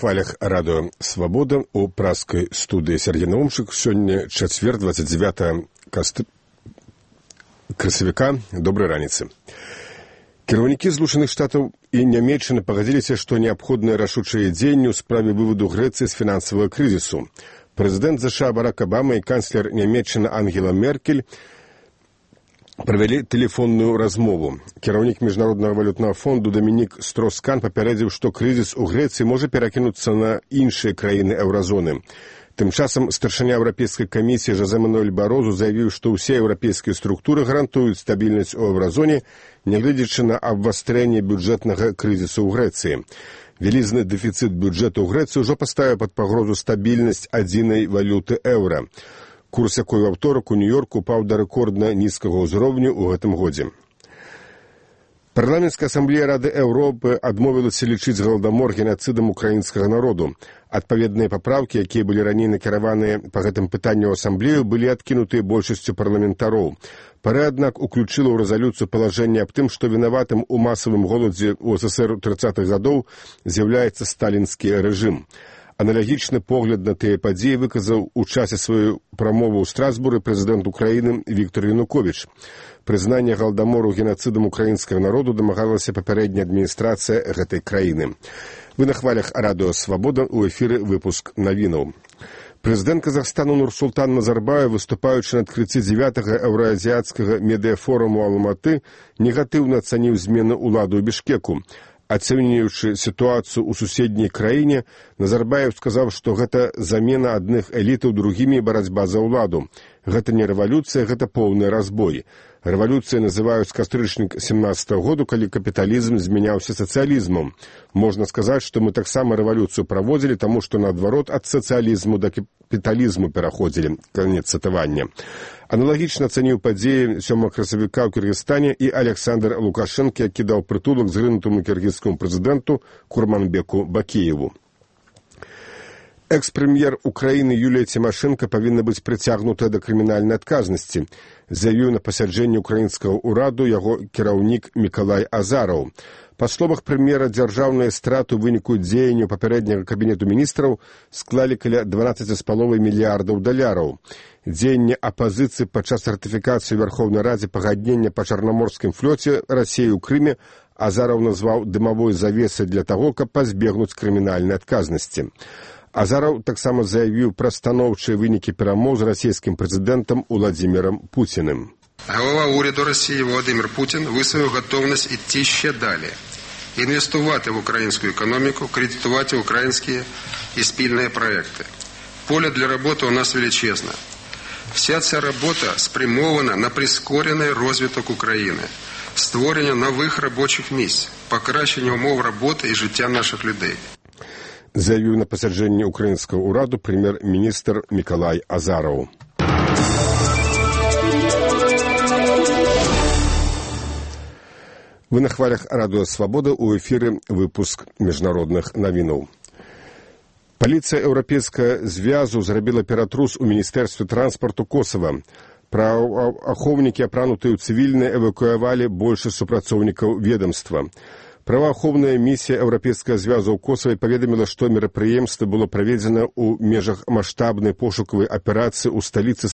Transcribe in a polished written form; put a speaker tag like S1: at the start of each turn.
S1: хвалях радыё «Свабода» у праскай студыі Сергей Наумчык. Сёння чацвер, 29 красавіка. Добрай раніцы. Кіраўнікі Злучаных Штатаў і Нямецчыны пагадзіліся, што неабходныя рашучыя дзеянні ў справе вываду Грэцыі з фінансавага крызісу. Прэзідэнт США Барак Абама і канцлер Нямецчыны Ангела Меркель правялі тэлефонную размову. Кіраўнік Міжнароднага валютнага фонду Дамінік Строскан папярэдзіў, што крызіс у Грэцыі можа перакінуцца на іншыя краіны еўразоны. Тым часам старшыня Еўрапейскай камісіі Жозе Мануэль Барозу заявіў, што ўсе еўрапейскія структуры гарантуюць стабільнасць у еўразоне, нягледзячы на абвастрэнне бюджэтнага крызісу ў Грэцыі. Вялізны дэфіцыт бюджэту ў Грэцыі ўжо паставіў пад пагрозу стабільнасць адзінай валюты еўра. Курс якой у аўторак у Нью-Йорку упаў да рэкордна нізкага ўзроўню ў гэтым годзе. Парламенцкая асамблея Рады Еўропы адмовілася лічыць галадамор генацыдам украінскага народу. Адпаведныя папраўкі, якія былі раней накіраваныя па гэтым пытанню ў асамблею, былі адкінутыя большасцю парламентароў. Пара, аднак, уключыла ў рэзалюцыю палажэнне аб тым, што вінаватым у масавым голадзе ў СССР 30-х гадоў з'яўляецца сталінскі рэжым. Аналагічны погляд на тыя падзеі выказаў у часе сваёй прамовы ў Страсбуры прэзідэнт Украіны Віктор Януковіч. Прызнанне галадамору генацыдам украінскага народу дамагалася папярэдняя адміністрацыя гэтай краіны. Вы на хвалях радыё «Свабода», у эфіры выпуск навінаў. Прэзідэнт Казахстану Нурсултан Назарбаев, выступаючы на адкрыцці 9-го еўраазіяцкага медыафоруму Алматы, негатыўна ацаніў змены ўлады ў Бішкеку. Ацэньваючы сітуацыю ў суседняй краіне, Назарбаев сказаў, што гэта замена адных элітаў другімі і барацьба за ўладу. Гэта не рэвалюцыя, гэта поўны разбой. Рэвалюцыяй называюць кастрычнік 17-го году, калі капіталізм змяняўся сацыялізмам. Можна сказаць, што мы таксама рэвалюцыю праводзілі, таму што наадварот ад сацыялізму да капіталізму пераходзілі. Канец цытавання. Аналагічна ацаніў падзеі 7 красавіка ў Кыргызстане і Александр Лукашенко, які даў прытулак зрынутаму кіргізскаму прэзідэнту Курманбеку Бакееву. Экс-прэм'ер Украіны Юлія Цімашэнка павінна быць прыцягнутая да крымінальнай адказнасці, заявіў на пасяджэнні украінскага ўраду яго кіраўнік Мікалай Азараў. Па словах прэм'ера, дзяржаўныя страты ў выніку дзеянняў папярэдняга кабінету міністраў склалі каля 12,5 мільярдаў даляраў. Дзеянне апазіцыі падчас ратыфікацыі Верховнай Радзе пагаднення па чарнаморскім флоце Расіі ў Крыме Азараў назваў дымавой завесай для таго, каб пазбегнуць крымінальнай адказнасці. Азараў таксама заявіў пра станоўчыя вынікі перамоў з расійскім прэзідэнтам Уладзімірам Пуціным.
S2: Голова уряду Росії Володимир Путін висловив готовність йти ще далі, інвестувати в українську економіку, кредитувати українські і спільні проекти. Поле для роботи у нас величезне. Вся ця робота спрямована на прискорений розвиток України, створення нових робочих місць, покращення умов роботи і життя наших людей.
S1: Заявіў на пасяджэнні украінскага ўраду прэм'ер-міністр Мікалай Азараў. Вы на хвалях радыё «Свабода», у эфіры выпуск міжнародных навінаў. Паліцыя Еўрапейскага звязу зрабіла ператрус у Міністэрстве транспарту Косава. Праваахоўнікі, апранутыя ў цывільныя, эвакуявалі большасць супрацоўнікаў ведамства. Праваахоўная місія Еўрапейскага звязу ў Косаве паведаміла, што мерапрыемства было праведзена ў межах маштабнай пошукавай аперацыі ў сталіцы